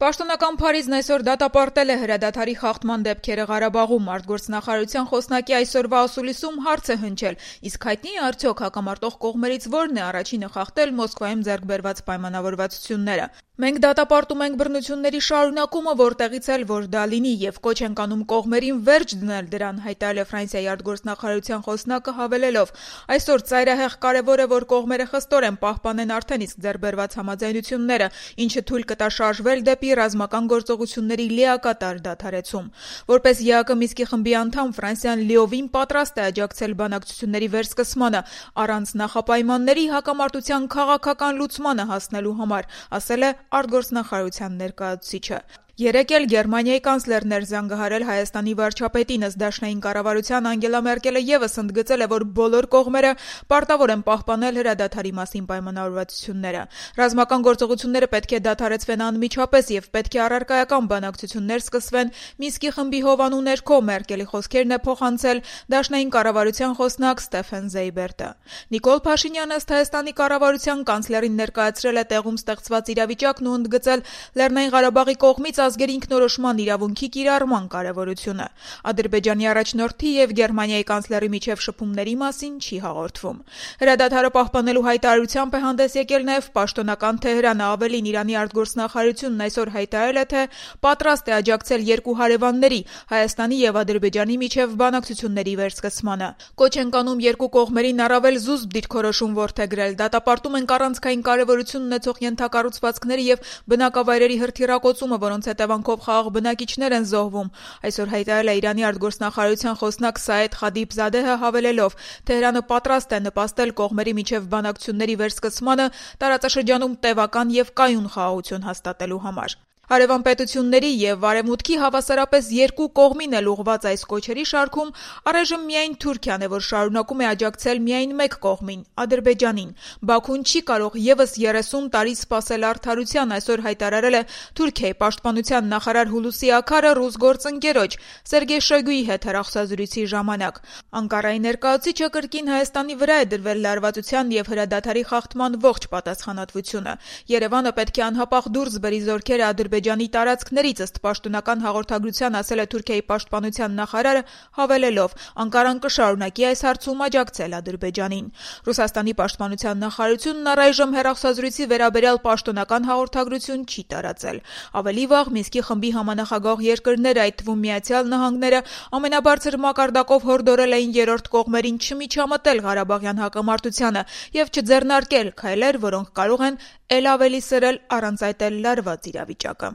Պաշտոնական Փարիզն այսօր դատապարտել է հրադադարի խախտման դեպքերը Ղարաբաղում։ Արտգործնախարարության խոսնակի այսօրվա ասուլիսում հարց է հնչել, իսկ հայտնի է արդյոք հակամարտող կողմերից որն է առաջինը խախտել Մոսկվայում ձեռք բերված պայմանավորվածությունները։ Մենք դատապարտում ենք բռնությունների շարունակումը, որտեղից էլ որ դա լինի, եւ կոչ ենք անում կողմերին վերջ դնել դրան, հայտարարել է Ֆրանսիայի արտգործնախարարության խոսնակը, հավելելով. այսօր ծայրահեղ կարևոր է, որ կողմերը խստորեն պահպանեն արդեն իսկ ձեռքբերված համաձայնությունները, ինչը թույլ կտա շարժվել դեպի ռազմական գործողությունների լիակատար դադարեցում։ Որպես ԵԱԿ Մինսկի խմբի անդամ, Ֆրանսիան լիովին պատրաստ է աջակցել բանակցությունների վերսկսմանը, առանց նախապայմանների հակամարտության քաղաքական լուծմանը հասնելու համար, ասել է արտգործնախարարության ներկայացուցիչը։ Երեկ էլ Գերմանիայի կանցլերն էր զանգահարել Հայաստանի վարչապետին, ըստ դաշնային կառավարության Անգելա Մերկելը եւս ընդգծել է, որ բոլոր կողմերը պարտավոր են պահպանել հրադադարի մասին պայմանավորվածությունները։ Ռազմական գործողությունները պետք է դադարեցվեն անմիջապես եւ պետք է առարկայական բանակցություններ սկսվեն Մինսկի խմբի հովանու ներքո, Մերկելի խոսքերն է փոխանցել դաշնային կառավարության խոսնակ Ստեֆեն Զեյբերտը։ Նիկոլ Փաշինյանը ըստ Հայաստանի կառավարության կանցլերին ներկայացրել է տեղում ստեղծված իրավիճակն ու ընդգծել Լեռնային Ղարաբաղի կողմից ազգերի ինքնորոշման իրավունքի կիրառման կարևորությունը։ Ադրբեջանի առաջնորդի եւ Գերմանիայի կանցլերի միջև շփումների մասին չի հաղորդվում։ Հրադադարը պահպանելու հայտարարությամբ է հանդես եկել նաեւ պաշտոնական Թեհրանը, ավելին Իրանի արտգործնախարարությունն այսօր հայտարարել է, թե պատրաստ է աջակցել երկու հարևանների՝ Հայաստանի եւ Ադրբեջանի միջև բանակցությունների վերսկսմանը։ Կոչ ենք անում երկու կողմերին առավել զուսպ դիրքորոշում որդեգրել, դատապարտում ենք առանցքային կարևորություն ունեցող ենթակառուցվածքների եւ բնակավայրերի հրթիռակոծումը, որոնց հետևանքով խաղաղ բնակիչներ են զոհվում, այսօր հայտարարել է Իրանի արտգործնախարարության խոսնակ Սաեդ Խադիբզադեհը, հավելելով. Թեհրանը պատրաստ է նպաստել կողմերի միջև բանակցությունների վերսկսմանը տարածաշրջանում տևական եւ կայուն խաղաղություն հաստատելու համար։ Հարևան պետությունների եւ Արևմուտքի հավասարապես երկու կողմին էլ ուղղված այս կոչերի շարքում առայժմ միայն Թուրքիան է, որ շարունակում է աջակցել միայն մեկ կողմին՝ Ադրբեջանին։ Բաքուն չի կարող եւս 30 տարի սպասել արդարության, այսօր հայտարարել է Թուրքիայի պաշտպանության նախարար Հուլուսի Աքարը ռուս գործընկերոջ Սերգեյ Շոյգուի հետ հեռախոսազրույցի ժամանակ։ Անկարայի ներկայացուցիչը կրկին Հայաստանի վրա է դրվել լարվածության եւ հրադադարի խախտման ողջ պատասխանատվությունը։ Երևանը պետք է անհապաղ դուրս բերի զորքերը Ադրբեջանի տարածքներից, ըստ պաշտոնական հաղորդագրության ասել է Թուրքիայի պաշտպանության նախարարը, հավելելով. Անկարան կշարունակի այս հարցում աջակցել Ադրբեջանին։ Ռուսաստանի պաշտպանության նախարարությունն առայժմ հեռախոսազրույցի վերաբերյալ պաշտոնական հաղորդագրություն չի տարածել։ Ավելի վաղ Մինսկի խմբի համանախագահ երկրները, այդ թվում Միացյալ Նահանգները, ամենաբարձր մակարդակով հորդորել էին երրորդ կողմերին չմիջամտել Ղարաբաղյան հակամարտությանը եւ չձեռնարկել քայլեր, որոնք կարող են ել ավելի սրել առանց այդ էլ լարված իրավիճակը։